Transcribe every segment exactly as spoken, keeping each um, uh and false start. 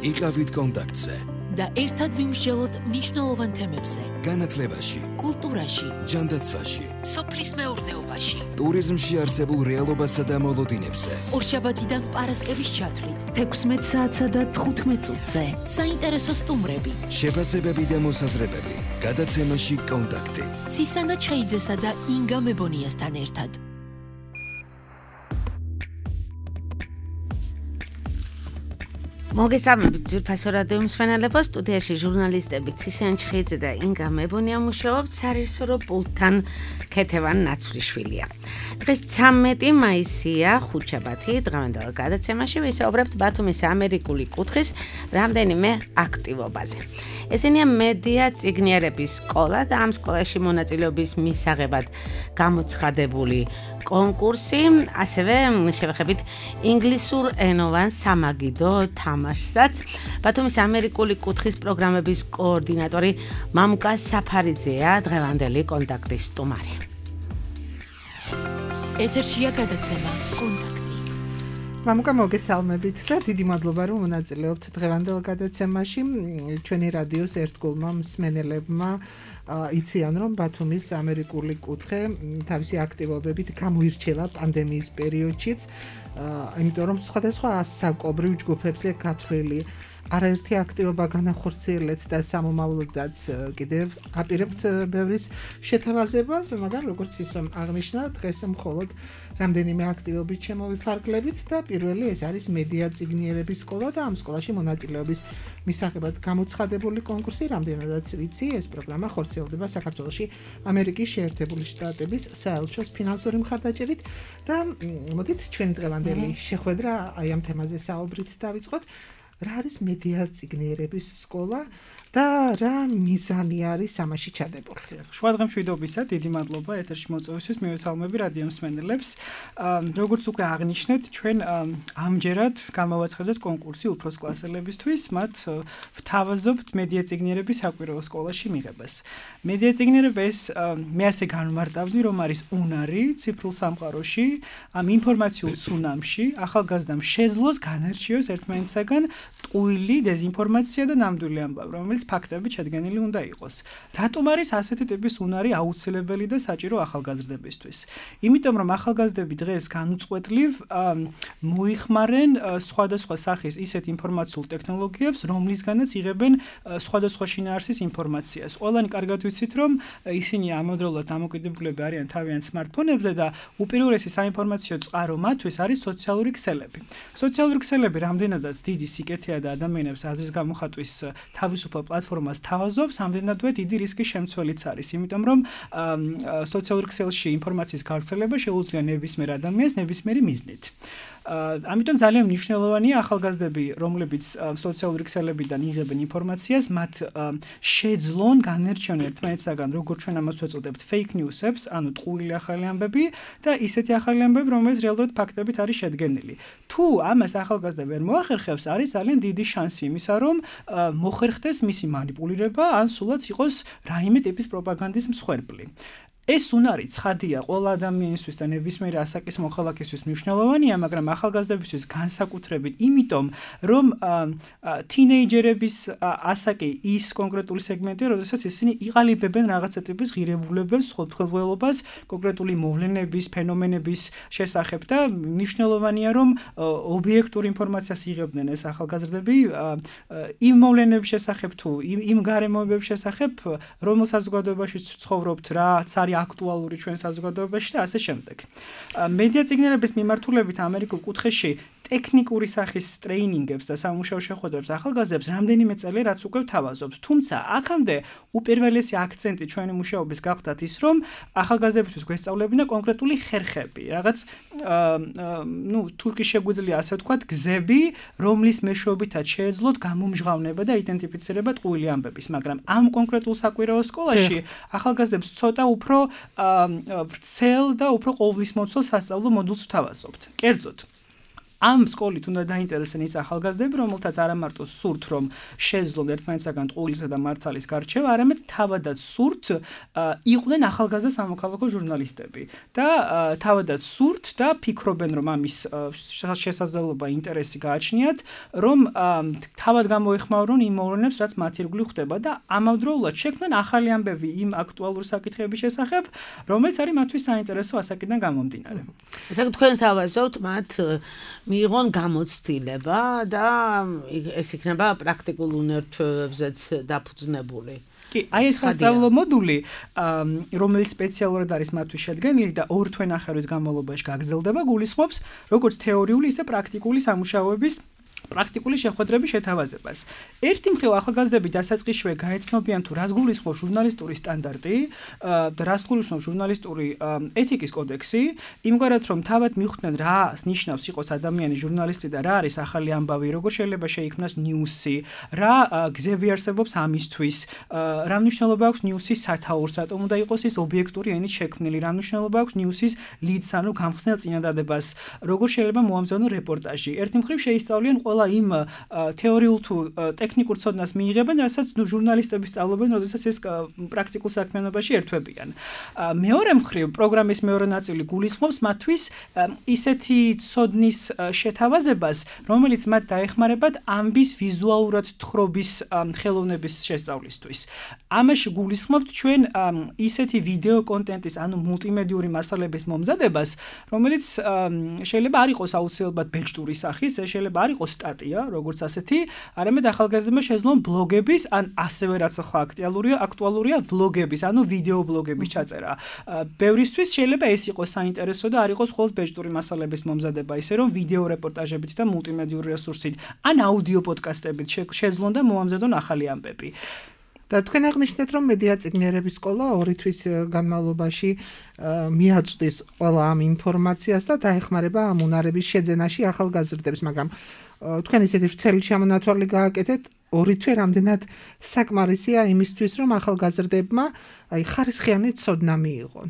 იყავით კონტაქტზე და ერთად ვიმსჯელოთ მნიშვნელოვან თემებზე. განათლებაში, კულტურაში, ჯანდაცვაში, სოფლის მეურნეობაში, ტურიზმში არსებულ რეალობასა და მოლოდინებზე. ორშაბათიდან პარასკევის ჩათვლით, თექვსმეტ საათსა და თხუთმეტ წუთზე. საინტერესო სტუმრები, შეფასებები და მოსაზრებები. გადაცემაში კონტაქტი. ცისანა ჩხეიძესა და ინგა მებონიასთან ერთად. მოგესალმებით ძვირფასო რადიო მსმენელებო, სტუდიაში ჟურნალისტები ცისანა ჩხეიძე და ინგა მებონია მუშაობთ, სარეჟისორო პულტთან ქეთევან ნაცვლიშვილია. დღეს ცამეტი მაისია, ხუთშაბათი, დღევანდელ გადაცემაში ვისაუბრებთ ბათუმის ამერიკული კუთხის რამდენიმე აქტივობაზე. ესენია მედია წიგნიერების სკოლა და ამ სკოლაში მონაწილეობის მისაღებად გამოცხადებული კონკურსი, ასევე შევეხებით ინგლისურ ენოვან სამაგიდო თამაშსაც. ბათუმის ამერიკული კუთხის პროგრამების კოორდინატორი მამუკა საფარიძეა დღევანდელი კონტაქტის სტუმარი. ეთერშია გადაცემა კონტაქტი. მამუკა, მოგესალმებით და დიდი მადლობა რომ მონაწილეობთ დღევანდელ გადაცემაში. ჩვენი რადიოს ერთგულმა მსმენელებმა იციან რომ ბათუმის ამერიკული კუთხე თავისი აქტივობებით გამოირჩევა პანდემიის პერიოდშიც, იმიტომ რომ სხვადასხვა ასაკობრივ ჯგუფებზე გათვლილი არაერთი აქტივობა განახორციელეთ და სამომავლოდაც კიდევ აპირებთ ბევრის შეთავაზებას, მაგრამ როგორც ისე აღნიშნა, დღეს მხოლოდ რამდენიმე აქტივობით შემოვიფარგლებით და პირველი ეს არის მედია წიგნიერების სკოლა და ამ სკოლაში მონაწილეობის მისაღებად გამოცხადებული კონკურსი. რამდენადაც ვიცი, ეს პროგრამა ხორციელდება საქართველოში ამერიკის შეერთებული შტატების საელჩოს ფინანსური მხარდაჭერით და მოდით ჩვენ დღევანდელი შეხვედრა აი ამ თემაზე საუბრით დავიწყოთ. რა არის მედია წიგნიერების სკოლა და რა მიზანი არის ამაში ჩადებული? შუა დღემშვიდობისა, დიდი მადლობა ეთერში მოწვევისთვის, მივესალმები რადიო მსმენელებს. როგორც უკვე აღნიშნეთ, ჩვენ ამჯერად გამოვაცხადოთ კონკურსი უფროს კლასელებისთვის, მათ ვთავაზობთ მედია წიგნიერების საკვირაო სკოლაში მიღებას. მედია წიგნიერება ეს მე ასე განმარტავდი, რომ არის უნარი ციფრულ სამყაროში, ამ ინფორმაციულ ცუნამში, ახალგაზრდამ შეძლოს განარჩიოს ერთმანეთისაგან ტყუილი დეზინფორმაცია და ნამდვილი ამბავი, რომელიც ფაქტებით შედგენილი უნდა იყოს. რატომ არის ასეთი ტიპის უნარი აუცილებელი და საჭირო ახალგაზრდებისთვის? იმიტომ რომ ახალგაზრდები დღეს განუწყვეტლივ მოიხმარენ სხვადასხვა სახის ისეთ ინფორმაციულ ტექნოლოგიებს, რომლისგანაც იღებენ სხვადასხვა შინაარსის ინფორმაციას. ყველანი კარგად ვიცით, რომ ისინი ამავდროულად დამოკიდებულები არიან თავიანთ სმარტფონებზე და უპირველესი საინფორმაციო წყარო მათთვის არის სოციალური ქსელები. სოციალური ქსელები რამდენადაც დიდი სიკეთეა და ადამიანებს აზრის გამოხატვის თავისუფალ პლატფორმას თავაზობს, ამდენადვე დიდი რისკის შემცველიც არის, იმიტომ რომ სოციალურ ქსელში ინფორმაციის გავრცელება შეუძლია ნებისმიერ ადამიანს ნებისმიერი მიზნით. ამიტომ ძალიან მნიშვნელოვანია ახალგაზრდები, რომლებიც სოციალური ქსელებიდან იღებენ ინფორმაციას, მათ შეძლონ განერჩიონ ერთმანეთისაგან, როგორც ჩვენ ამას ვეწოდებთ, fake news-ებს, ანუ ტყუილი ახალი ამბები და ისეთი ახალი ამბები, რომელიც რეალურად ფაქტებით არის შედგენილი. თუ ამას ახალგაზრდა ვერ მოახერხებს, არის ძალიან დიდი შანსი იმისა, რომ მოხერხდეს მისი манипулირება, ან სულაც იყოს რაიმე ტიპის პროპაგანდის მსხვერპლი. ეს უნარი ცხადია ყველა ადამიანისთვის და ნებისმიერი ასაკის მოხალხისთვის მნიშვნელოვანია, მაგრამ ახალგაზრდებისთვის განსაკუთრებით, იმიტომ რომ თინეიჯერების ასაკი ის კონკრეტული სეგმენტია, როდესაც ისინი იყალიბებენ რაღაცა ტიპის ღირებულებებს, ხელმძღვანელობას, კონკრეტული მოვლენების, ფენომენების შესახებ და მნიშვნელოვანია, რომ ობიექტურ ინფორმაციას იღებდნენ ეს ახალგაზრდები იმ მოვლენების შესახებ თუ იმ გარემოებების შესახებ, რომელ საზოგადოებაში ცხოვრობთ, რაც არის აქტუალური ჩვენ საზოგადოებაში და ასე შემდეგ. მედია წიგნიერების მიმართულებით ამერიკულ კუთხეში ტექნიკური სახის ტრეინინგებს და სამუშაო შეხვედრებს ახალგაზრდებს რამდენიმე წელი რაც უკვე ვთავაზობთ. თუმცა აქამდე უპირველესი აქცენტი ჩვენი მუშაობის გახდათ ის, რომ ახალგაზრდებისთვის გვესწავლებინა კონკრეტული ხერხები, რაღაც ნუ თურქი შეგვიძლია ასე ვთქვათ, გზები, რომლის მეშვეობითაც შეეძლოთ გამომჟღავნება და იდენტიფიცირება ტყუილი ამბების, მაგრამ ამ კონკრეტულ საკვირაო სკოლაში ახალგაზრდებს ცოტა უფრო ვრცელ და უფრო ყოვლისმომცველ სასწავლო მოდულს ვთავაზობთ. კერძოდ ამ სკოლით უნდა დაინტერესდნენ ის ახალგაზრდები, რომელთაც არა მარტო სურთ, რომ შეძლონ ერთმანეთსაგან ტყუილისა და მართლის გარჩევა, არამედ თავადაც სურთ იყვნენ ახალგაზრდა სამოქალაქო ჟურნალისტები და თავადაც სურთ და ფიქრობენ, რომ ამის შესაძლებლობა ინტერესი გააჩნიათ, რომ თავად გამოეხმაურონ იმ მოვლენებს, რაც მათ ირგვლივ ხდება და ამავდროულად შექმნან ახალი ამბები იმ აქტუალურ საკითხების შესახებ, რომელიც არის მათთვის საინტერესო ასაკიდან გამომდინარე. ესე იგი თქვენ სავაზობთ მათ მიიღონ გამოცდილება და ეს იქნება პრაქტიკულ უნარჩვევებზეც დაფუძნებული. კი, აი ეს სასწავლო მოდული, რომელიც სპეციალურად არის მათთვის შედგენილი და ორ თვენახევრის განმავლობაში გაგრძელდება, გულისხმობს როგორც თეორიული, ისე პრაქტიკული სამუშაოების პრაქტიკული შეხვედრების შეთავაზებას. ერთი მხრივ ახალგაზრდები დასაწყისშივე გაეცნობიან თუ რას გულისხმობს ჟურნალისტური სტანდარტი და რას გულისხმობს ჟურნალისტური ეთიკის კოდექსი, იმგვარად რომ თავად მიხვდნენ რას ნიშნავს იყოს ადამიანი ჟურნალისტი და რა არის ახალი ამბავი, როგორ შეიძლება შეიქმნას ნიუსი, რა გზები არსებობს ამისთვის, რა მნიშვნელობა აქვს ნიუსის სათაურს, რატომ უნდა იყოს ის ობიექტური ენით შექმნილი, რა მნიშვნელობა აქვს ნიუსის ლიდს, ანუ გამხსნელ წინადადებას, როგორ შეიძლება მოამზადონ რეპორტაჟი. ერთი მხრივ შეისწავლიან ყველა იმ თეორიულ თუ ტექნიკურ ცოდნას მიიღებენ, რასაც ჟურნალისტები სწავლობენ, როდესაც ეს პრაქტიკულ საქმიანობაში ერთვებიან. მეორე მხრივ, პროგრამის მეორე ნაწილი გულისხმობს მათთვის ისეთი ცოდნის შეთავაზებას, რომელიც მათ დაეხმარებათ ამბის ვიზუალურად თხრობის ხელოვნების შესწავლისთვის. ამაში გულისხმობთ ჩვენ ისეთი ვიდეო კონტენტის, ანუ მულტიმედიური მასალების მომზადებას, რომელიც შეიძლება არ იყოს აუცილებლად ბეჭდური სახის, შეიძლება არ იყოს სტატია, როგორც ასეთი, არამედ ახალგაზრდებმა შეძლონ ბლოგების, ან ასევე რაც ახლა აქტუალურია, აქტუალურია ვლოგების, ანუ ვიდეო ბლოგების ჩაწერა. ბევრისთვის შეიძლება ეს იყოს საინტერესო და არ იყოს მხოლოდ ბეჭდური მასალების მომზადება, ისე რომ ვიდეო რეპორტაჟებით და მულტიმედიური რესურსით, ან აუდიო პოდკასტებით შეძლონ და მოამზადონ ახალი ამბები. და თქვენ აღნიშნეთ, რომ მედია წიგნიერების სკოლა ორი თვის განმავლობაში მიაწვდის ყველა ამ ინფორმაციას და დაეხმარება ამ უნარების შეძენაში ახალგაზრდებს, მაგრამ თქვენ ისეთი ვრცელი ჩამონათვალი გააკეთეთ, ორი თვე რამდენად საკმარისია იმისთვის, რომ ახალგაზრდებმა აი ხარისხიანი ცოდნა მიიღონ.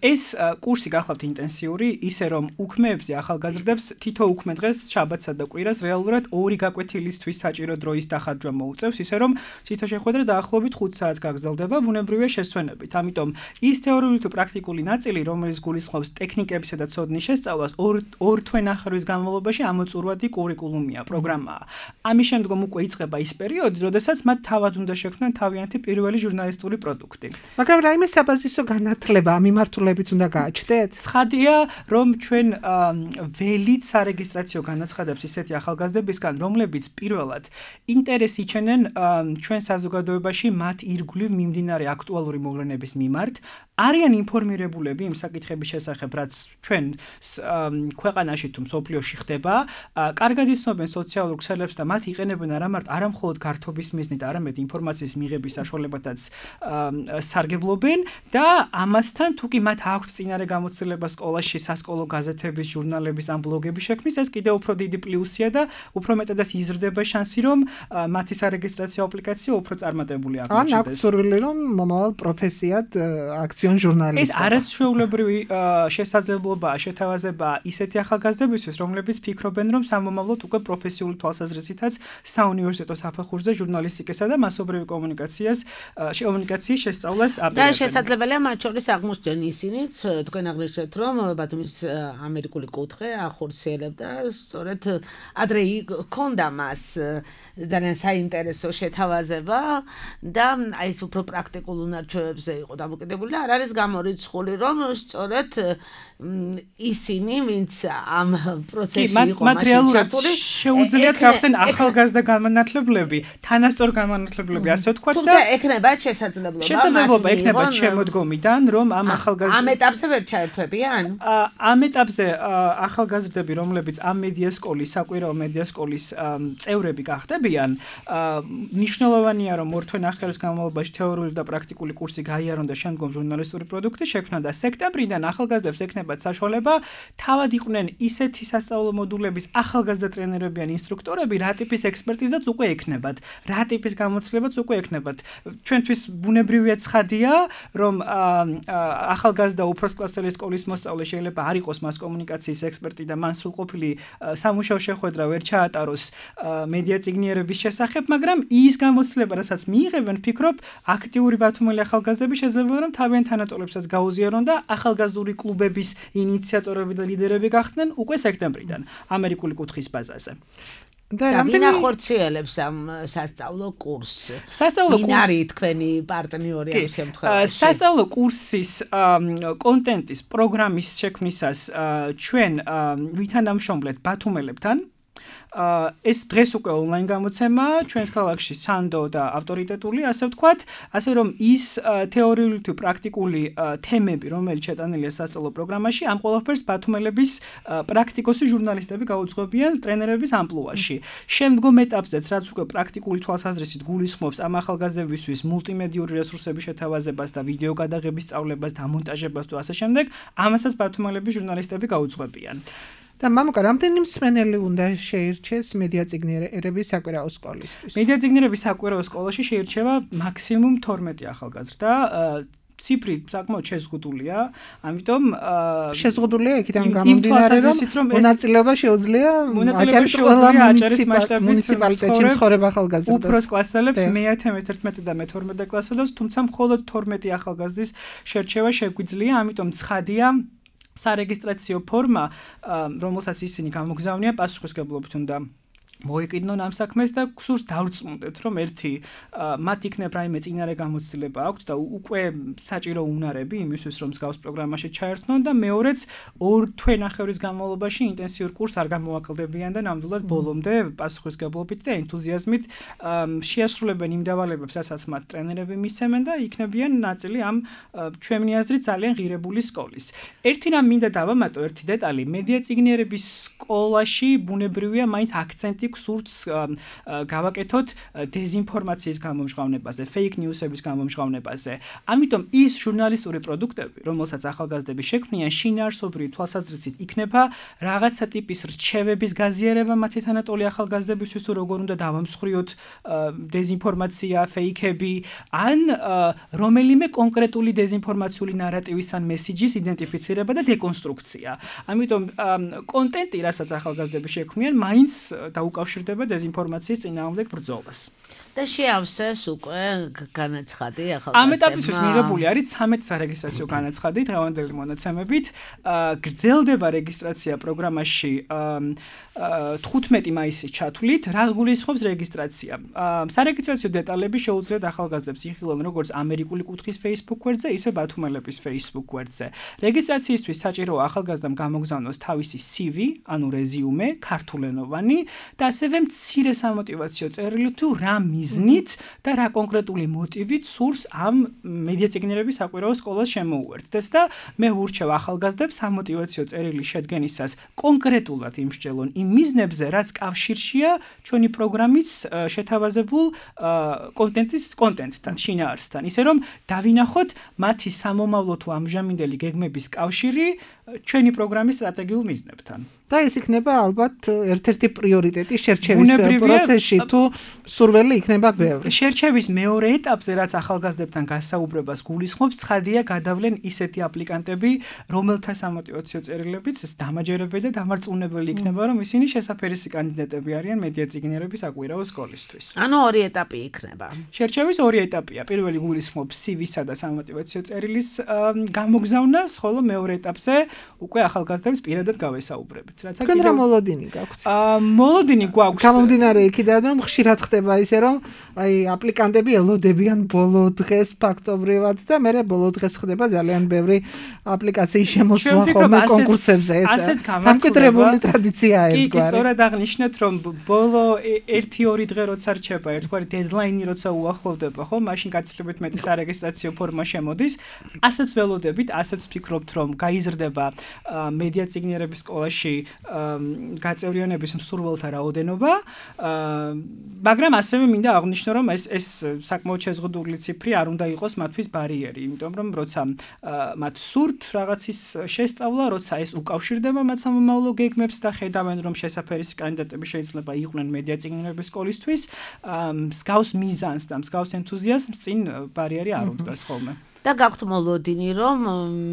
ეს კურსი გახლავთ ინტენსიური, ისე რომ უქმეებზე ახალგაზრდებს თითო უქმე დღეს, შაბათსა და კვირას რეალურად ორი გაკვეთილისთვის საჭირო დროის დახარჯვა მოუწევს, ისე რომ თითო შეხვედრა დაახლოებით ხუთ საათს გაგრძელდება, ბუნებრივია შესვენებით. ამიტომ ის თეორიული თუ პრაქტიკული ნაწილი, რომელიც გულისხმობს ტექნიკებისა და ცოდნის შესწავლას, ორ თვენახევრის განმავლობაში ამოწურვადი კურიკულუმია, პროგრამაა. ამის შემდგომ უკვე იწყება ის პერიოდი, როდესაც მათ თავად უნდა შექმნან თავიანთი პირველი ჟურნალისტური პროდუქტი. მაგრამ რაიმე საბაზისო განათლება ამ მიმართულებით უნდა გააჩნდეთ? ცხადია, რომ ჩვენ ველით სარეგისტრაციო განაცხადებს ისეთი ახალგაზრდებისგან, რომლებიც პირველად ინტერესი იჩენენ ჩვენ საზოგადოებაში მათ ირგვლივ მიმდინარე აქტუალური მოვლენების მიმართ, არიან ინფორმირებულები იმ საკითხების შესახებ, რაც ჩვენ ქვეყანაში თუ მსოფლიოში ხდება, კარგად იცნობენ სოციალურ ქსელებს და მათ იყენებენ არა მარტო არა მხოლოდ გართობის მიზნით, არამედ ინფორმაციის მიღების საშუალებათაც სარგებლობენ და ამასთან თუ კი მათ აქვთ წინარე გამოცდილება სკოლაში, სასკოლო გაზეთების, ჟურნალების ან ბლოგების შექმნის, ეს კიდევ უფრო დიდი პლუსია და უფრო მეტადაც იზრდება შანსი, რომ მათი სარეგისტრაციო აპლიკაცია უფრო წარმატებული აღმოჩნდეს. ან აქვს სურვილი, რომ მომავალ პროფესიად აქციონ ჟურნალისტი. ეს არც ჩვეულებრივი შესაძლებლობაა, შეთავაზებაა ისეთი ახალგაზრდებისთვის, რომლებიც ფიქრობენ, რომ სამომავლოდ უკვე პროფესიული თვალსაზრისითაც საუნივერსიტეტო საფეხურზე ჟურნალისტიკასა და მასობრივი კომუნიკაციას კომუნიკაციის შესწავლას აპირებენ. და შესაძლებელია მათ შორის აღმოჩნდნენ ისინიც, თქვენ აღნიშნეთ, რომ ბათუმის ამერიკული კუთხე ახორციელებდა, სწორედ ადრე ჰქონდა მას ძალიან საინტერესო შეთავაზება და აი ეს უფრო პრაქტიკულ უნარჩვევებზე იყო დამოკიდებული და არ არის გამორიცხული, რომ სწორედ ისინი, ვინც ამ პროცესში იყო მაშინ ჩართული, შეუძლიათ გავხდნენ ახალგაზრდა განმანათლებლები, თანასწორ განმანათლებლები, ასე ვთქვათ და თუმცა ექნება შესაძლებლობა შესაძლებლობა ექნება შემოდგომიდან, რომ ამ ახალგაზრდა ამ ეტაპზე ვერ ჩაერთვებიან? ამ ეტაპზე ახალგაზრდები, რომლებიც ამ მედია სკოლის, საკვირაო მედია სკოლის წევრები გახდებიან, მნიშვნელოვანია, რომ ორ თვენახევრის განმავლობაში თეორიული და პრაქტიკული კურსი გაიარონ და შემდგომ ჟურნალისტური პროდუქტი შექმნან და სექტემბრიდან ახალგაზრდებს ექნებათ საშუალება თავად იყვნენ ისეთი სასწავლო მოდულების ახალგაზრდა ტრენერები ან ინსტრუქტორები, რა ტიპის ექსპერტიზაც უკვე ექნებათ, რა ტიპის გამოცდილებაც უკვე ექნებათ. ჩვენთვის ბუნებრივია ცხადია, რომ ახალგაზრდა უფროსკლასელი სკოლის მოსწავლე შეიძლება არ იყოს მას კომუნიკაციის ექსპერტი და მან სრულყოფილი სამუშაო შეხვედრა ვერ ჩაატაროს მედია წიგნიერების შესახებ, მაგრამ ის გამოცდილება, რასაც მიიღებენ, ვფიქრობ, აქტიური ბათუმელი ახალგაზრდები შეიძლება რომ თავიანთ თანატოლებსაც გაუზიარონ და ახალგაზრდული კლუბების ინიციატორები და ლიდერები გახდნენ უკვე სექტემბრიდან ამერიკული კუთხის ბაზაზე. და რამდენი ახორციელებს ამ სასწავლო კურსს? სასწავლო კურსი არის თქვენი პარტნიორი ამ შემთხვევაში. სასწავლო კურსის კონტენტის პროგრამის შექმნისას ჩვენ ვითანამშრომლეთ ბათუმელებთან. ეს დღეს უკვე ონლაინ გამოცემა ჩვენს ქალაქში სანდო და ავტორიტეტული, ასე ვთქვათ, ასე რომ ის თეორიული თუ პრაქტიკული თემები, რომელიც შეტანილია სასწავლო პროგრამაში, ამ ყველაფერს ბათუმელების პრაქტიკოსი ჟურნალისტები გაუძღვებიან ტრენერების ამპლუაში. შემდგომ ეტაპზეც, რაც უკვე პრაქტიკული თვალსაზრისით გულისხმობს ამ ახალგაზრდებისთვის მულტიმედიური რესურსების შეთავაზებას და ვიდეო გადაღების სწავლებას, დამონტაჟებას თუ ასე შემდეგ, ამასაც ბათუმელების ჟურნალისტები გაუძღვებიან. და მამუკა, რამდენი მსმენელი უნდა შეირჩეს მედია წიგნიერების საკვირაო სკოლისთვის? მედია წიგნიერების საკვირაო სკოლაში შეირჩება მაქსიმუმ თორმეტი ახალგაზრდა. ციფრი საკმაოდ შეზღუდულია, ამიტომ შეზღუდულია იქიდან გამომდინარე, რომ მონაწილეობა შეუძლია აჭარის ყველა მუნიციპალიტეტში მცხოვრებ ახალგაზრდას. უფროს კლასელებს მეათე, მეთერთმეტე და მეთორმეტე კლასელებს, თუმცა მხოლოდ თორმეტი ახალგაზრდის შერჩევა შეგვიძლია, ამიტომ ცხადია სარეგისტრაციო ფორმა, რომელსაც ისინი გამოგზავნიან, პასუხისმგებლობით უნდა მოეკიდნონ ამ საქმეს და გსურს დავრწმუნდეთ, რომ ერთი მათ იქნებ რაიმე წინარე გამოცდილება აქვთ და უკვე საჭირო უნარები იმისთვის, რომ მსგავს პროგრამაში ჩაერთნონ და მეორეც ორ თვენახევრის განმავლობაში ინტენსიურ კურსს არ გამოაკლდებიან და ნამდვილად ბოლომდე პასუხისმგებლობით და ენთუზიაზმით შეასრულებენ იმ დავალებებს, რასაც მათ ტრენერები მისცემენ და იქნებიან ნაწილი ამ ჩვენი აზრით ძალიან ღირებული სკოლის. ერთი რამ მინდა დავამატო, ერთი დეტალი, მედია წიგნიერების სკოლაში ბუნებრივია მაინც აქცენტი გსურს გავაკეთოთ დეზინფორმაციის გამომჟღავნებაზე, fake news-ების გამომჟღავნებაზე. ამიტომ ის ჟურნალისტური პროდუქტები, რომელსაც ახალგაზრდები შექმნიან, შინაარსობრივი თვალსაზრისით იქნება რაღაცა ტიპის რჩევების გაზიარება მათი თანატოლი ახალგაზრდებისთვის, თუ როგორ უნდა დავამსხვრიოთ დეზინფორმაცია, fake-ები, ან რომელიმე კონკრეტული დეზინფორმაციული ნარატივის ან მესიჯის იდენტიფიცირება და დეკონსტრუქცია. ამიტომ კონტენტი, რასაც ახალგაზრდები შექმნიან, მაინც დაუკავშირდება დეზინფორმაციის წინააღმდეგ ბრძოლას. და შეავსეს უკვე განაცხადი ახალგაზრდებმა. ამ ეტაპისთვის მიღებული არის ცამეტი სარეგისტრაციო განაცხადი დღევანდელი მონაცემებით. გრძელდება რეგისტრაცია პროგრამაში თხუთმეტი მაისის ჩათვლით, რაც გულისხმობს რეგისტრაცია. სარეგისტრაციო დეტალები შეუძლიათ ახალგაზრდებს იხილონ როგორც ამერიკული კუთხის Facebook გვერდზე, ისე ბათუმელების Facebook გვერდზე. რეგისტრაციისთვის საჭიროა ახალგაზრდამ გამოგზავნოს თავისი C V, ანუ რეზიუმე, ქართულენოვანი და ასევე მცირე სამოტივაციო წერილი თუ რა მიზნით და რა კონკრეტული მოტივით სურს ამ მედია წიგნიერების საკვირაო სკოლას შემოუერთდეს და მე ვურჩევ ახალგაზრდებს სამოტივაციო წერილი შედგენისას კონკრეტულად იმსჯელონ იმ მიზნებზე, რაც კავშირშია ჩვენი პროგრამის შეთავაზებულ კონტენტის კონტენტთან, შინაარსთან, ისე რომ დავინახოთ მათი სამომავლო თუ ამჟამინდელი გეგმების კავშირი ჩვენი პროგრამის სტრატეგიულ მიზნებთან. და ეს იქნება ალბათ ერთ-ერთი პრიორიტეტი შერჩევის პროცესში, თუ სურველი იქნება ბევრი. შერჩევის მეორე ეტაპზე, რაც ახალგაზრდებთან გასაუბრებას გულისხმობს, ცხადია გადავლენ ისეთი აპლიკანტები, რომელთა სამოტივაციო წერილებიც დამაჯერებელი და დამარწმუნებელი იქნება, რომ ისინი შესაფერისი კანდიდატები არიან მედია წიგნიერების საკვირაო სკოლისთვის. ანუ ორი ეტაპი იქნება. შერჩევის ორი ეტაპია. პირველი გულისხმობს C V-სა და სამოტივაციო წერილის გამოგზავნას, ხოლო მეორე ეტაპზე უკვე ახალგაზრდებს პირადად გავესაუბრებით. თქვენ რა მოლოდინი გაქვთ? აა მოლოდინი გვაქვს. გამომდინარე იქიდან, რომ ხშირად ხდება ისე, რომ აი აპლიკანტები ელოდებიან ბოლო დღეს ფაქტობრივად და მერე ბოლო დღეს ხდება ძალიან ბევრი აპლიკაციის შემოსვლა ხოლმე კონკურსებზე. ასეც გამართული ტრადიციაა ეს. კი, სწორად აღნიშნეთ, რომ ბოლო ერთი ორი დღე როცა რჩება, ერთგვარი დედლაინი როცა უახლოვდება, ხო, მაშინ გაცილებით მეტი სარეგისტრაციო ფორმა შემოდის. ასეც ველოდებით, ასეც ვფიქრობთ, რომ გაიზრდება მედია წიგნიერების სკოლაში გაწევრიანების მსურველთა რაოდენობა, მაგრამ ასევე მინდა აღვნიშნო, რომ ეს ეს საკმაოდ შეზღუდული ციფრი არ უნდა იყოს მათთვის ბარიერი, იმიტომ რომ როცა მათ სურთ რაღაცის შესწავლა, როცა ეს უკავშირდება მათ სამომავლო გეგმებს და ხედავენ, რომ შესაფერისი კანდიდატები შეიძლება იყვნენ მედია წიგნების სკოლისთვის, მსგავს მიზანს და მსგავს ენთუზიაზმს წინ ბარიერი არ უდგას ხოლმე. და გაქვთ მოლოდინი, რომ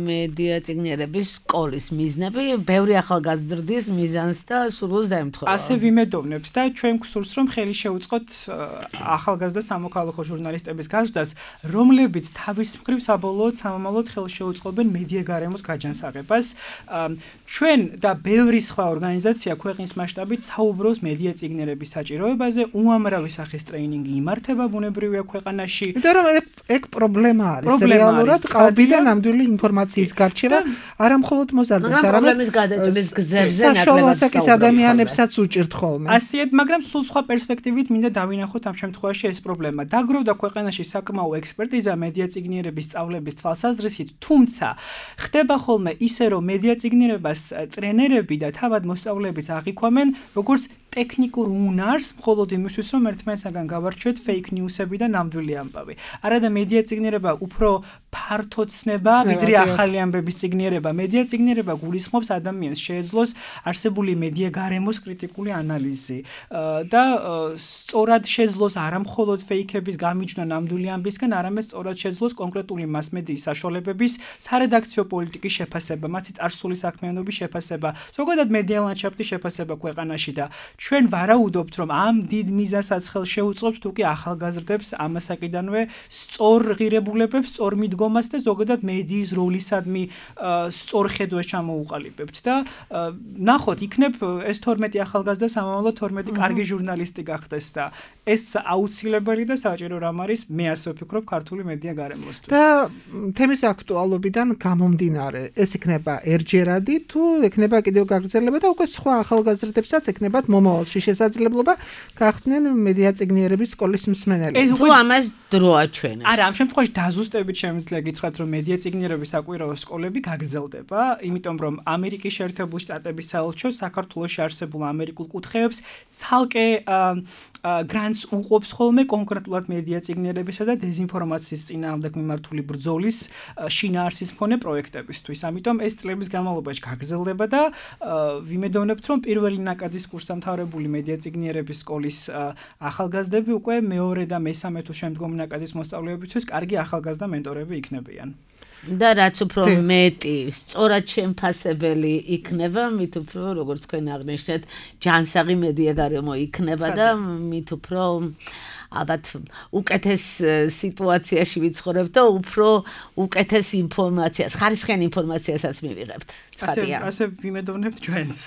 მედია წიგნიერების სკოლის მიზნები ბევრი ახალგაზრდის მიზანს და სურვილს დაემთხვევა. ასე ვიმედოვნებთ და ჩვენ გვსურს, რომ ხელი შეუწყოთ ახალგაზრდა სამოქალაქო ჟურნალისტების გაზრდას, რომლებიც თავის მხრივ საბოლოოდ სამომავლოდ ხელს შეუწყობენ მედია გარემოს გაჯანსაღებას. ჩვენ და ბევრი სხვა ორგანიზაცია ქვეყნის მასშტაბით საუბრობს მედია წიგნიერების საჭიროებაზე, უამრავი სახის ტრეინინგი იმართება ბუნებრივია ქვეყანაში. იმიტომ რომ ეგ პრობლემა არის. რეალურად ყალბიდან ნამდვილი ინფორმაციის გარჩევა არა მხოლოდ მოზარდებს, არამედ პრობლემის გადაჭრის გზებზე საშუალო ასაკის ადამიანებსაც უჭირთ ხოლმე. ასეთ, მაგრამ სულ სხვა პერსპექტივით მინდა დავინახოთ ამ შემთხვევაში ეს პრობლემა. დაგროვდა ქვეყანაში საკმაო ექსპერტიზა მედია წიგნიერების სწავლების თვალსაზრისით, თუმცა ხდება ხოლმე ისე, რომ მედია წიგნიერებას ტრენერები და თავად მოსწავლეებიც აღიქვამენ, როგორც ტექნიკურ უნარს, მხოლოდ იმისთვის, რომ ერთმანეთსაგან გავარჩევთ fake news-ები და ნამდვილი ამბავი. არადა მედია წიგნიერება უფრო ფართო ცნება, ვიდრე ახალი ამბების წიგნიერება. მედია წიგნიერება გულისხმობს ადამიანს შეეძლოს არსებული მედია გარემოს კრიტიკული ანალიზი და სწორად შეძლოს არა მხოლოდ fake-ების გამიჯვნა ნამდვილი ამბისგან, არამედ სწორად შეძლოს კონკრეტული მასმედიის საშუალებების სარედაქციო პოლიტიკის შეფასება, მათი წარსული საქმიანობის შეფასება, ზოგადად მედია ლანდშაფტის შეფასება ქვეყანაში და ჩვენ ვარაუდობთ, რომ ამ დიდ მიზანსაც ხელს შეუწყობს თუკი ახალგაზრდებს ამასაკიდანვე სწორ ღირებულებებს, სწორ მიდგომას და ზოგადად მედიის როლისადმი სწორ ხედვას ჩამოუყალიბებთ და ნახოთ, იქნებ ეს თორმეტი ახალგაზრდა სამომავლოდ თორმეტი კარგი ჟურნალისტი გახდეს და ეს აუცილებელი და საჭირო რამ არის, მე ასე ვფიქრობ, ქართული მედია გარემოსთვის. და თემის აქტუალობიდან გამომდინარე, ეს იქნება ერჯერადი თუ იქნება კიდევ გაგრძელება და უკვე სხვა ახალგაზრდებსაც იქნებათ მომავალში შესაძლებლობა გახდნენ მედია წიგნიერების სკოლის მსმენელები. თუ ამას დრო აჩვენებს. არა, ამ შემთხვევაში დაზუსტებით შემიძლია გითხრათ, რომ მედია წიგნიერების საკვირაო სკოლები გაგრძელდება, იმიტომ რომ ამერიკის შეერთებული შტატების საელჩო საქართველოში არსებულ ამერიკულ კუთხეებს ცალკე გრანტს უყოფს ხოლმე კონკრეტულად მედია წიგნიერებისა და დეზინფორმაციის წინააღმდეგ მიმართული ბრძოლის შინაარსის მქონე პროექტებისთვის. ამიტომ ეს წლების განმავლობაში გაგრძელდება და ვიმედოვნებთ, რომ პირველი ნაკადის კურსდამთავრებული მედია წიგნიერების სკოლის ახალგაზრდები უკვე მეორე და მესამე თუ შემდგომ ნაკადის მოსწავლეებისთვის კარგი ახალგაზრდა მენტორები იქნებიან. და რაც უფრო მეტი სწორად შემფასებელი იქნება, მით უფრო, როგორც თქვენ აღნიშნეთ, ჯანსაღი მედია გარემო იქნება და მით უფრო ალბათ უკეთეს სიტუაციაში ვიცხოვრებთ და უფრო უკეთეს ინფორმაციას, ხარისხიან ინფორმაციასაც მივიღებთ. ცხადია. ასე ვიმედოვნებთ ჩვენს.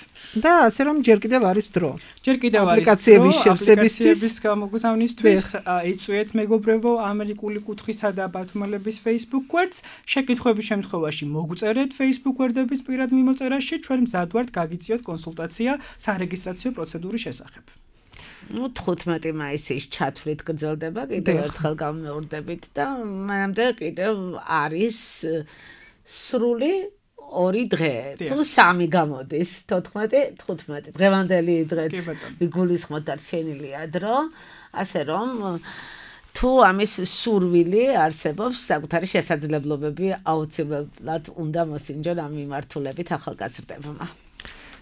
და ასე რომ ჯერ კიდევ არის დრო. ჯერ კიდევ არის აპლიკაციების შევსებისთვის, გამოგზავნისთვის, ეწვიეთ მეგობრებო ამერიკული კუთხისა და ბათუმელების Facebook გვერდს, შეკითხვების შემთხვევაში მოგწერეთ Facebook გვერდების პირად მიმოწერაში, ჩვენ მზად ვართ გაგიწიოთ კონსულტაცია სარეგისტრაციო პროცედურის შესახებ. ну თხუთმეტი მაისის ჩათვლით გრძელდება კიდევ ერთხელ გამეორდებით და მანამდე კიდევ არის სრული ორი დღე თუ სამი გამოდის თოთხმეტი თხუთმეტი დღევანდელი დღეც ვიგულისხმოთ და რჩენილია დრო ასე რომ თუ ამის სურვილი არსებობს საკუთარი შესაძლებლობები აუცილებლად უნდა მოსინჯონ ამ მიმართულებით ახალგაზრდებმა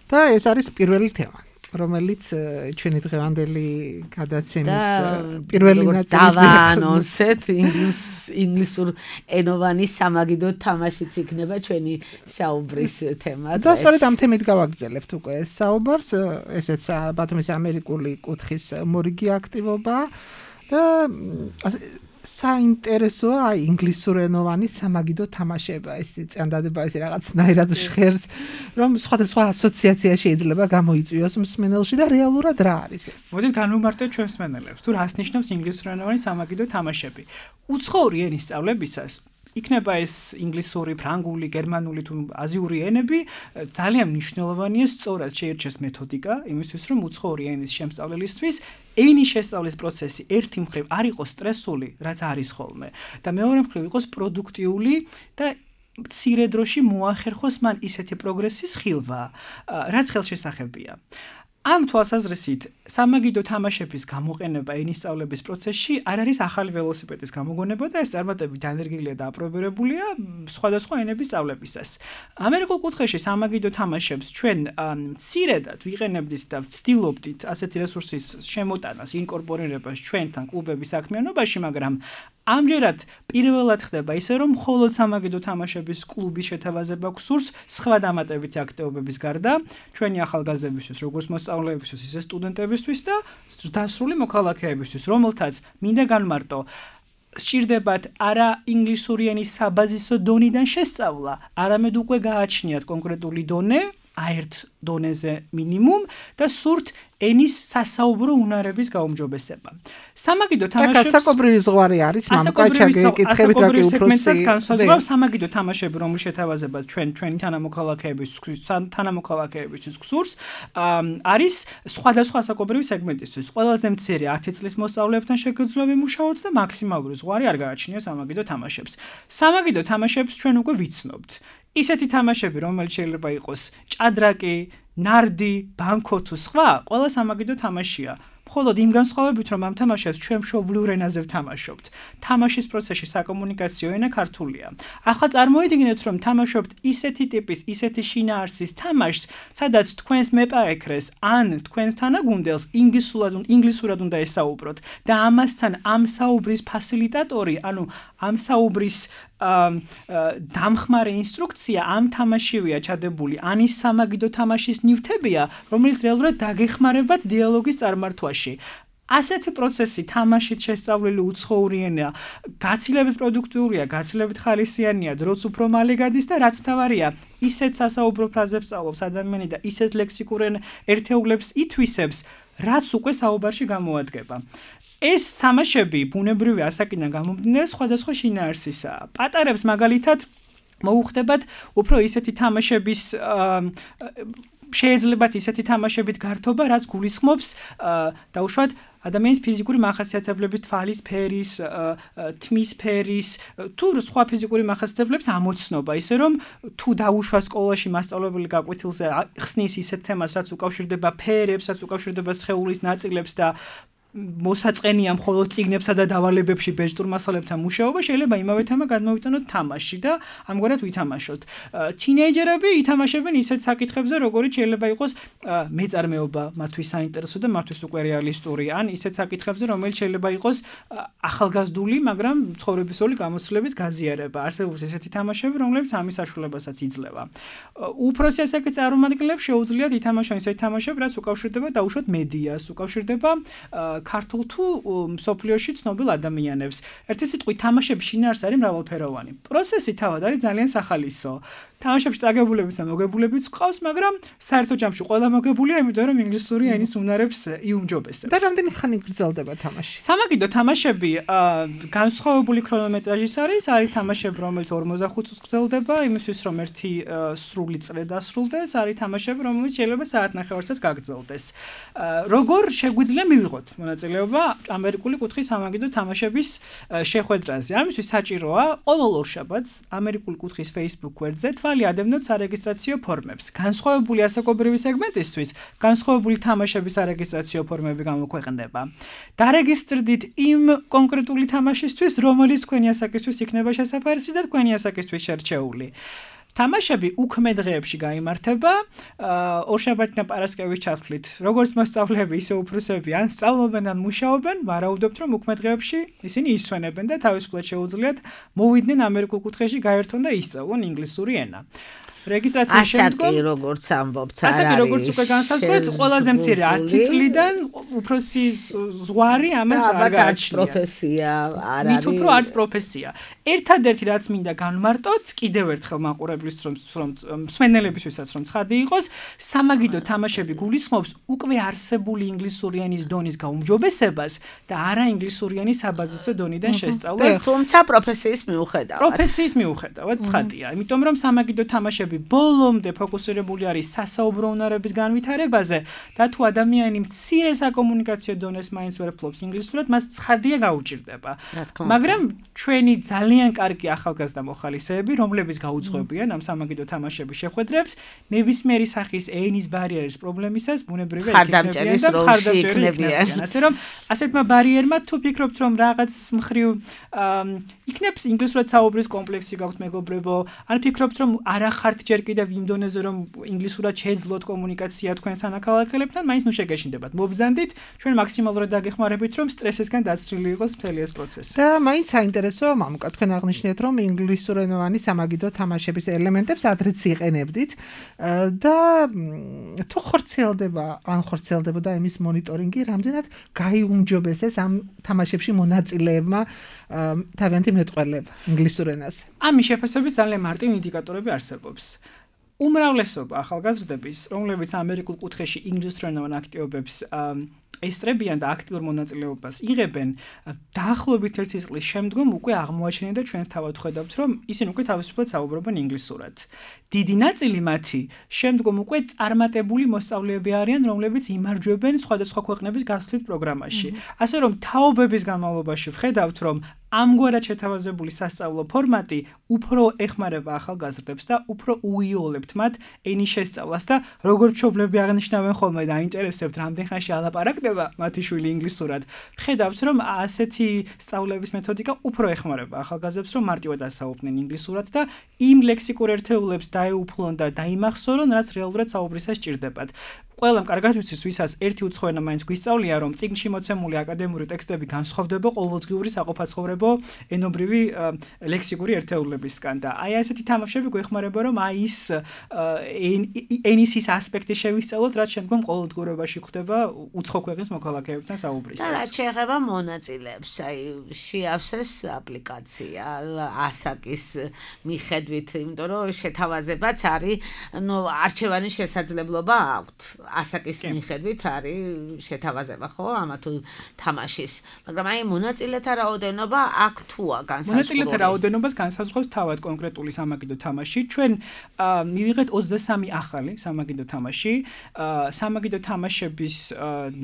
და ეს არის პირველი თემა რომელიც ჩვენი დღევანდელი გადაცემის პირველი ნაწილი დავაანონსეთ ინგლის ინგლისურ ენოვანი სამაგიდო თამაშიც იქნება ჩვენი საუბრის თემა და სწორედ ამ თემით გავაგრძელებთ უკვე ეს საუბარს ესეც ბათუმის ამერიკული კუთხის მორიგი აქტივობა და საინტერესოა ინგლისურენოვანი სამაგიდო თამაშება ეს წანდადება ეს რაღაცნაირად ჟღერს რომ სხვადასხვა ასოციაცია შეიძლება გამოიწვიოს მსმენელში და რეალურად რა არის ეს მოდით განვიმარტოთ ჩვენს მსმენელებს თუ რას ნიშნავს ინგლისურენოვანი სამაგიდო თამაშები უცხოური ენის სწავლებისას იქნება ეს ინგლისური, ფრანგული, გერმანული თუ აზიური ენები ძალიან მნიშვნელოვანია სწორად შეირჩეს მეთოდიკა იმისთვის რომ უცხოური ენის შემსწავლელისთვის ენის შესწავლის პროცესი ერთი მხრივ არ იყოს სტრესული, რაც არის ხოლმე და მეორე მხრივ იყოს პროდუქტიული და მცირე დროში მოახერხოს მან ისეთი პროგრესის ხილვა, რაც ხელშესახებია. ამ თვალსაზრისით სამაგიდო თამაშების გამოყენება ენისწავლების პროცესში არ არის ახალი ველოსიპედის გამოგონება და ეს წარმატებით დანერგილია და აპრობირებულია სხვადასხვა ენების სწავლებისას. ამერიკულ კუთხეში სამაგიდო თამაშებს ჩვენ მცირედად ვიყენებდით და ვცდილობდით ასეთი რესურსის შემოტანას, ინკორპორირებას ჩვენთან კლუბების საქმიანობაში, მაგრამ ამჯერად პირველად ხდება ისე, რომ მხოლოდ სამაგიდო თამაშების კლუბის შეთავაზება გსურს სხვა დამატებითი აქტივობების გარდა, ჩვენი ახალგაზრდებისთვის, როგორც მოსწავლეებისთვის, ისე სტუდენტებისთვის და დასრული მოქალაქეებისთვის, რომელთაც მინდა განმარტო, სჭირდებათ არა ინგლისური ენის საბაზისო დონიდან შესწავლა, არამედ უკვე გააჩნიათ კონკრეტული დონე, აერთ დონეზე მინიმუმ და სურთ ენის სასაუბრო უნარების გაუმჯობესება. სამაგიდო თამაშებს ასაკობრივი ზღვარი არის, მამკაჩაგე კითხებით რა კი უფროსი განსაზღვრავს სამაგიდო თამაშები, რომლის შეთავაზება ჩვენ ჩვენი თანამოქალაქეების თანამოქალაქეებისთვის გსურს, არის სხვადასხვა ასაკობრივი სეგმენტისთვის. ყველაზე მცირე ათი წლის მოსწავლეებთან შეგეძლო ვიმუშაოთ და მაქსიმალური ზღვარი არ გააჩნია სამაგიდო თამაშებს. სამაგიდო თამაშებს ჩვენ უკვე ვიცნობთ. ისეთი თამაშები, რომელიც შეიძლება იყოს ჭადრაკი, ნარდი, ბანკო თუ სხვა, ყველა სამაგიდო თამაშია. მხოლოდ იმ განსხვავებით, რომ ამ თამაშებს ჩვენ მშობლიურ ენაზე ვთამაშობთ. თამაშის პროცესში საკომუნიკაციო ენა ქართულია. ახლა წარმოიდგინეთ, რომ თამაშობთ ისეთი ტიპის, ისეთი შინაარსის თამაშს, სადაც თქვენს მეპარეკრეს ან თქვენს თანაგუნდელს ინგლისურად ინგლისურად უნდა ესაუბროთ და ამასთან ამ საუბრის ფასილიტატორი, ანუ ამ საუბრის დამხმარე ინსტრუქცია ამ თამაშივია ჩადებული, ან ის სამაგიდო თამაშის ნივთებია, რომელიც რეალურად დაგეხმარებათ დიალოგის წარმართვაში. ასეთი პროცესი თამაშით შესწავლილი უცხოური ენა გაცილებით პროდუქტიურია, გაცილებით ხალისიანია, დროც უფრო მალე გადის და რაც მთავარია, ისეთ სასაუბრო ფრაზებს სწავლობს ადამიანი და ისეთ ლექსიკურ ერთეულებს ითვისებს, რაც უკვე საუბარში გამოადგება. ეს თამაშები ბუნებრივი ასაკიდან გამომდინარე სხვადასხვა შინაარსისაა. პატარებს მაგალითად მოუხდებათ უფრო ისეთი თამაშების შეეძლებათ ისეთი თამაშებით გართობა, რაც გულისხმობს დაუშვათ ადამიანის ფიზიკური მახასიათებლების, თვალის ფერის, თმის ფერის, თუ სხვა ფიზიკური მახასიათებლების ამოცნობა, ისე რომ თუ დაუშვათ სკოლაში მასწავლებელი გაკვეთილზე ხსნის ისეთ თემას, რაც უკავშირდება ფერებს, რაც უკავშირდება სხეულის ნაწილებს და მოსაწყენია მხოლოდ წიგნებსა და დავალებებში ბეჭდურ მასალებთან მუშაობა, შეიძლება იმავე თემა გადმოვიტანოთ თამაში და ამგვარად ვითამაშოთ. თინეიჯერები ითამაშებენ ისეთ საკითხებზე, როგორიც შეიძლება იყოს მეწარმეობა, მათთვის საინტერესო და მათთვის უკვე რეალისტური, ან ისეთ საკითხებზე, რომელიც შეიძლება იყოს ახალგაზრდული, მაგრამ ცხოვრებისეული გამოცდილების გაზიარება. არსებობს ესეთი თამაშები, რომლებიც ამის საშუალებასაც იძლევა. უფროსი ასაკის წარმომადგენლებს შეუძლიათ ითამაშონ ისეთი თამაშები, რაც უკავშირდება დაუშვათ მედიას, უკავშირდება ქართულ თუ მსოფლიოში ცნობილ ადამიანებს. ერთი სიტყვით თამაშების შინაარსი არის მრავალფეროვანი. პროცესი თავად არის ძალიან სახალისო. თამაშებში წაგებულებიც და მოგებულებიც ყავს, მაგრამ საერთო ჯამში ყველა მოგებულია, იმიტომ რომ ინგლისური ენის უნარებს იუმჯობესებს. და რამდენი ხანი გრძელდება თამაში? სამაგიდო თამაშები განსხვავებული ქრონომეტრაჟის არის, არის თამაშები, რომელიც ორმოცდახუთ წუთს გრძელდება, იმისთვის რომ ერთი სრული წრე დასრულდეს, არის თამაშები, რომელიც შეიძლება საათნახევარსაც გაგრძელდეს. როგორ შეგვიძლია მივიღოთ მონაწილეობა ამერიკული კუთხის სამაგიდო თამაშების შეხვედრაზე? ამისთვის საჭიროა ყოველ ორშაბათს ამერიკული კუთხის Facebook გვერდზე თვალი ადევნოთ სარეგისტრაციო ფორმებს. განსხვავებული ასაკობრივი სეგმენტისთვის განსხვავებული თამაშების სარეგისტრაციო ფორმები გამოქვეყნდება. დარეგისტრდით იმ კონკრეტული თამაშისთვის, რომელიც თქვენი ასაკისთვის იქნება შესაფერისი და თქვენი ასაკისთვის შერჩეული. თამაშები უქმე დღეებში გაიმართება, ორშაბათი და პარასკევის ჩათვლით. როგორც მოსწავლეები, ისე უფროსები ან სწავლობენ ან მუშაობენ, ვარაუდობთ, რომ უქმე დღეებში ისინი ისვენებენ და თავისუფლად შეუძლიათ მოვიდნენ ამერიკულ კუთხეში, გაერთონ და ისწავლონ ინგლისური ენა. რეგისტრაციის შემდგომ ასაკი როგორც ამბობთ, არ არის. ასაკი როგორც უკვე განსაზღვრეთ, ყველაზე მცირე ათი წლიდან უფროსი ზღვარი ამას არ გააჩნია. პროფესია არ არის. მით უფრო არც პროფესია. ერთადერთი რაც მინდა განმარტოთ, კიდევ ერთხელ მაყურებლისთვის რომ მსმენელებისთვისაც რომ ცხადი იყოს, სამაგიდო თამაშები გულისხმობს უკვე არსებული ინგლისური ენის დონის გაუმჯობესებას და არა ინგლისური ენის საბაზისო დონიდან შესწავლას. თუმცა პროფესიის მიუხედავად. პროფესიის მიუხედავად ცხადია, იმიტომ რომ სამაგიდო თამაშები ბოლომდე ფოკუსირებული არის სასაუბრო უნარების განვითარებაზე და თუ ადამიანი მცირე საკომუნიკაციო დონეს მაინც ვერ ფლობს ინგლისურად, მას ცხადია გაუჭირდება. მაგრამ ჩვენი ძალიან ძალიან კარგი ახალგაზრდა მოხალისეები, რომლებიც გაუძღვებიან ამ სამაგიდო თამაშების შეხვედრებს, ნებისმიერი სახის ენის ბარიერის პრობლემისას ბუნებრივია ხარდამჭერის როლში იქნებიან. ასე რომ ასეთმა ბარიერმა თუ ფიქრობთ რომ რაღაც მხრივ იქნებს ინგლისურად საუბრის კომპლექსი გაქვთ მეგობრებო, ან ფიქრობთ რომ არა ხართ ჯერ კიდევ იმ დონეზე რომ ინგლისურად შეეძლოთ კომუნიკაცია თქვენ სანახალახელებთან, მაინც ნუ შეგეშინდებათ. მობრძანდით, ჩვენ მაქსიმალურად დაგეხმარებით რომ სტრესისგან დაცლილი იყოს მთელი ეს პროცესი. და მაინც საინტერესოა მამუკა, თქვენ აღნიშნეთ რომ ინგლისურენოვანი სამაგიდო თამაშების ელემენტებს ადრეც იყენებდით და თუ ხორციელდება, ან ხორციელდებოდა იმის მონიტორინგი, რამდენად გაიუმჯობესეს ამ თამაშებში მონაწილეებმა თავიანთი მეტყველება ინგლისურ ენაზე. ამის შეფასების ძალიან მარტივი ინდიკატორები არსებობს. უმრავლესობა ახალგაზრდების, რომლებიც ამერიკულ კუთხეში ინგლისურენოვან აქტივობებს ესწრებიან და აქტიურ მონაწილეობას იღებენ, დაახლოებით ერთი წლის შემდგომ უკვე აღმოაჩენენ და ჩვენს თავად ხედავთ, რომ ისინი უკვე თავისუფლად საუბრობენ ინგლისურად. დიდი ნაწილი მათი შემდგომ უკვე წარმატებული მოსწავლეები არიან, რომლებიც იმარჯვებენ სხვადასხვა ქვეყნების გასვლით პროგრამაში. ასე რომ თაობების განმავლობაში ვხედავთ, რომ ამგვარად შეთავაზებული სასწავლო ფორმატი უფრო ეხმარება ახალგაზრდებს და უფრო უიოლებთ მათ ენის შესწავლას და როგორც მშობლები აღნიშნავენ ხოლმე და აინტერესებთ რამდენ ხანში ალაპარაკდება მათი შვილი ინგლისურად, ხედავთ რომ ასეთი სწავლების მეთოდიკა უფრო ეხმარება ახალგაზრდებს რომ მარტივად ასაუბრნენ ინგლისურად და იმ ლექსიკურ ერთეულებს დაეუფლონ და დაიმახსოვრონ, რაც რეალურად საუბრისას სჭირდებათ. ყველამ კარგად ვიცის, ვისაც ერთი უცხო ენა მაინც გვისწავლია, რომ წიგნში მოცემული აკადემიური ტექსტები განსხვავდება ყოველდღიური საყოფაცხოვრებო ენობრივი ლექსიკური ერთეულებისგან და აი ასეთი თამაშები გვეხმარება, რომ აი ის ენის ის ასპექტი შევისწავლოთ, რაც შემდგომ ყოველდღიურობაში ხდება უცხო ქვეყნის მოქალაქეებთან საუბრისას. და რაც შეეხება მონაწილეებს, აი შეავსეს აპლიკაცია ასაკის მიხედვით, იმიტომ რომ შეთავაზებაც არის, ნუ არჩევანის შესაძლებლობა აქვთ. ასაკის მიხედვით არის შეთავაზება ხო ამა თუ თამაშის, მაგრამ აი მონაწილეთა რაოდენობა აქ თუა განსაზღვრული. მონაწილეთა რაოდენობას განსაზღვრავს თავად კონკრეტული სამაგიდო თამაში. ჩვენ მივიღეთ ოცდასამი ახალი სამაგიდო თამაში. სამაგიდო თამაშების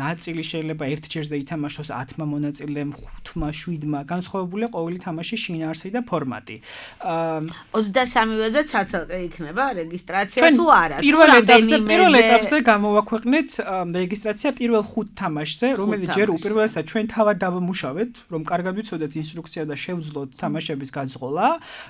ნაწილი შეიძლება ერთჯერზე ითამაშოს ათმა მონაწილემ, ხუთმა, შვიდმა, განსხვავებულია ყოველი თამაშის შინაარსი და ფორმატი. ოცდასამივეზე ცალკე იქნება რეგისტრაცია თუ არა? პირველ ეტაპზე, პირველ ეტაპზე გამოვაქვეყნეთ რეგისტრაცია პირველ ხუთ თამაშზე, რომელიც ჯერ უპირველესად ჩვენ თავად დავამუშავეთ, რომ კარგად ვიცოდეთ ინსტრუქცია და შევძლოთ თამაშების გაძღოლა.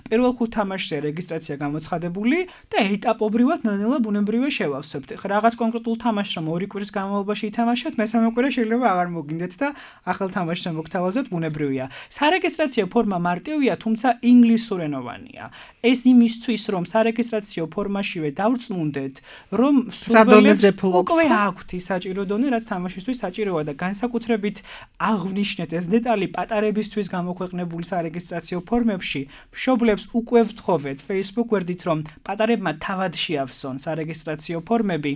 პირველ ხუთ თამაშზე რეგისტრაცია გამოცხადებული და ეტაპობრივად ნელ-ნელა ბუნებრივია შევავსებთ. რაღაც კონკრეტულ თამაშს რომ ორი კვირის განმავლობაში ითამაშოთ, მესამე კვირა შეიძლება აღარ მოგინდეთ და ახალ თამაშზე მოგთავაზოთ, ბუნებრივია. სარეგისტრაციო ფორმა მარტივია, თუმცა ინგლისურენოვანია. ეს იმისთვის, რომ სარეგისტრაციო ფორმაშივე დავრწმუნდეთ, რომ სურვილებს უკვე აქვთ ის საჭირო დონე, რაც თამაშისთვის საჭიროა და განსაკუთრებით აღვნიშნეთ ეს დეტალი პატარებისთვის გამოქვეყნებული სარეგისტრაციო ფორმებში. მშობლებს უკვე ვთხოვეთ Facebook გვერდით, რომ პატარებმა თავად შეავსონ სარეგისტრაციო ფორმები,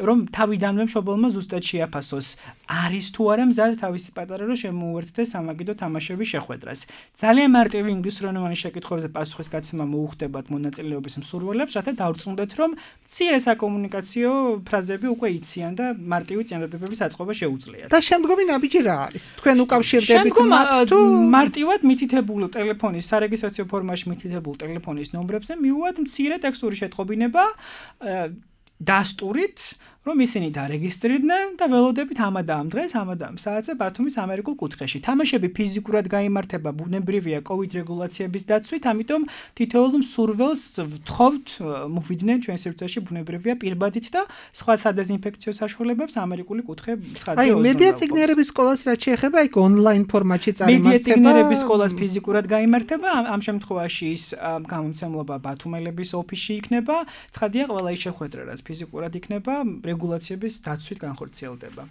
რომ თავიდანვე მშობელმა ზუსტად შეაფასოს, არის თუ არა მზად თავისი პატარა რომ შემოუერთდეს სამაგიდო თამაშების შეხვედრას. ძალიან მარტივი ინგლისურენოვანი შეკითხვებზე პასუხისგაცემა მოუხდებათ მონაწილეობის მსურველებს, რათა დავრწმუნდეთ, რომ მცირე საკომუნიკაციო ფრაზები უკვე იციან და მარტივი წინადადებების აწყობა შეუძლიათ. და შემდგომი ნაბიჯი რა არის? თქვენ უკავშირდებით მათ თუ მარტივად მითითებულ ტელეფონის სარეგისტრაციო ფორმაში მითითებულ ტელეფონის ნომრებზე მივუვათ მცირე ტექსტური შეტყობინება დასტურით, რომ ისინი დარეგისტრირდნენ და ველოდებით ამა და ამ დღეს, ამა და ამ საათზე ბათუმის ამერიკულ კუთხეში. თამაშები ფიზიკურად გაიმართება ბუნებრივია კოვიდ რეგულაციების დაცვით, ამიტომ თითოეულ მსურველს ვთხოვთ მოვიდნენ ჩვენ სივრცეში ბუნებრივია პირბადით და სხვა სადეზინფექციო საშუალებებს ამერიკული კუთხე ცხადია ოზრუნავს. აი, მედია ციგნიერების სკოლას რაც შეეხება, იქ ონლაინ ფორმატში წარმართება. მედია ციგნიერების სკოლას ფიზიკურად გაიმართება, ამ შემთხვევაში ის გამომცემლობა ბათუმელების ოფისში იქნება, ცხადია ყველა ის შეხვედრა, რაც ფიზიკურად იქნება, რეგულაციების დაცვით განხორციელდება.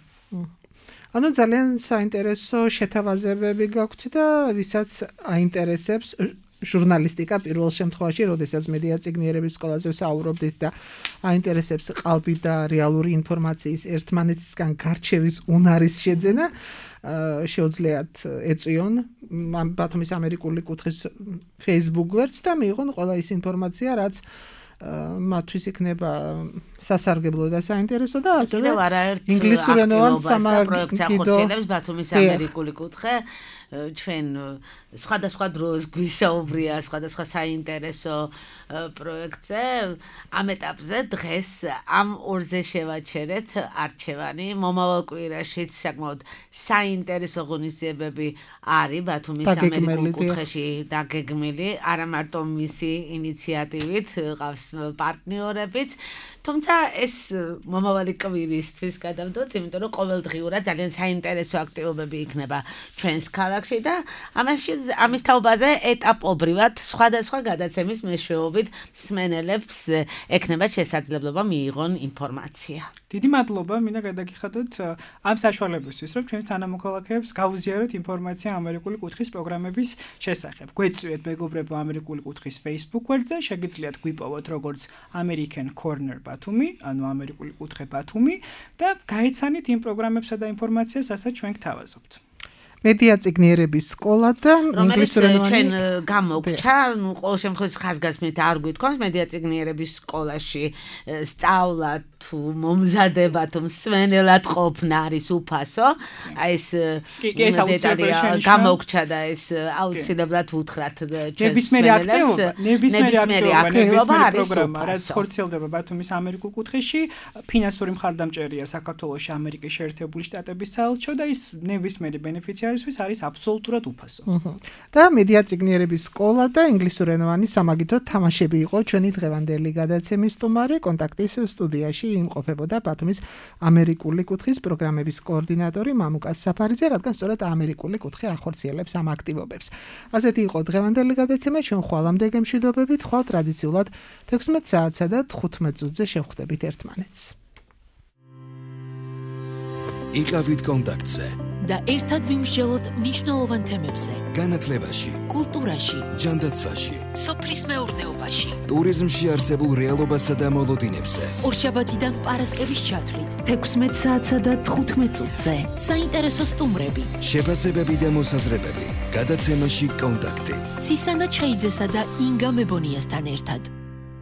ანუ ძალიან საინტერესო შეთავაზებები გაქვთ და ვისაც აინტერესებს ჟურნალისტიკა პირველ შემთხვევაში, როდესაც მედია ციგნიერების სკოლაზე ვსაუბრობდით და აინტერესებს ყალბი და რეალური ინფორმაციის ერთმანეთისგან გარჩევის უნარის შეძენა, შეუძლიათ ეწიონ ბათუმის ამერიკული კუთხის Facebook გვერდს და მიიღონ ყველა ის ინფორმაცია, რაც მათთვის იქნება სასარგებლო და საინტერესო და ასევე კიდევ არაერთ ინგლისურენოვან სამაგიდო ამერიკული ამერიკული კუთხე ჩვენ სხვადასხვა დროს გვისაუბრია სხვადასხვა საინტერესო პროექტზე ამ ეტაპზე დღეს ამ ორზე შევაჩერეთ არჩევანი მომავალ კვირაშიც საკმაოდ საინტერესო ღონისძიებები არის ბათუმის ამერიკულ კუთხეში დაგეგმილი არა მარტო მისი ინიციატივით ყავს პარტნიორებიც თუმცა ეს მომავალი კვირისთვის გადავდოთ იმიტომ რომ ყოველდღიურად ძალიან საინტერესო აქტივობები იქნება ჩვენს ქალაქში და ამაში ამის თაობაზე ეტაპობრივად სხვადასხვა გადაცემის მეშვეობით მსმენელებს ექნებათ შესაძლებლობა მიიღონ ინფორმაცია. დიდი მადლობა, მინდა გადაგიხადოთ ამ საშუალებისთვის, რომ ჩვენს თანამოქალაქეებს გავუზიაროთ ინფორმაცია ამერიკული კუთხის პროგრამების შესახებ. გვეწვიეთ მეგობრებო ამერიკული კუთხის Facebook გვერდზე, შეგიძლიათ გვიპოვოთ როგორც American Corner ბათუმი, ანუ ამერიკული კუთხე ბათუმი და გაეცანით იმ პროგრამებსა და ინფორმაციას, რასაც ჩვენ გთავაზობთ. მედია წიგნიერების სკოლა და ინგლისურენოვანი ჩვენ გამოგჩა, ნუ ყოველ შემთხვევაში ხაზგასმით არ გვითხოს მედია წიგნიერების სკოლაში სწავლა თუ მომზადება თუ მსვენელად ყოფნა არის უფასო. აი ეს დეტალია გამოგჩა და ეს აუცილებლად უთხრათ ჩვენს მსმენელებს. ნებისმიერი აქტივობა არის პროგრამა, რაც ხორციელდება ბათუმის ამერიკულ კუთხეში. ფინანსური მხარდამჭერია საქართველოში ამერიკის შეერთებული შტატების საელჩო და ის ნებისმიერი ბენეფიცი არის აბსოლუტურად უფასო. და მედია წიგნიერების სკოლა და ინგლისურენოვანი სამაგიდო თამაშები იყო ჩვენი დღევანდელი გადაცემის სტუმარი. კონტაქტის სტუდიაში იმყოფებოდა ბათუმის ამერიკული კუთხის პროგრამების კოორდინატორი მამუკა საფარიძე, რადგან სწორედ ამერიკული კუთხე ახორციელებს ამ აქტივობებს. ასეთი იყო დღევანდელი გადაცემა, ჩვენ ხვალამდე გემშვიდობებით, ხვალ ტრადიციულად თექვსმეტ საათსა და თხუთმეტ წუთზე შევხვდებით ერთმანეთს. იყავით კონტაქტზე და ერთად ვიმსჯელოთ მნიშვნელოვან თემებზე. განათლებაში, კულტურაში, ჯანდაცვაში, სოფლის მეურნეობაში, ტურიზმში არსებულ რეალობასა და მოლოდინებზე. ორშაბათიდან პარასკევის ჩათვლით, თექვსმეტ საათსა და თხუთმეტ წუთზე. საინტერესო სტუმრები, შეფასებები და მოსაზრებები. გადაცემაში კონტაქტი. ცისანა ჩხეიძესა და ინგა მებონიასთან ერთად.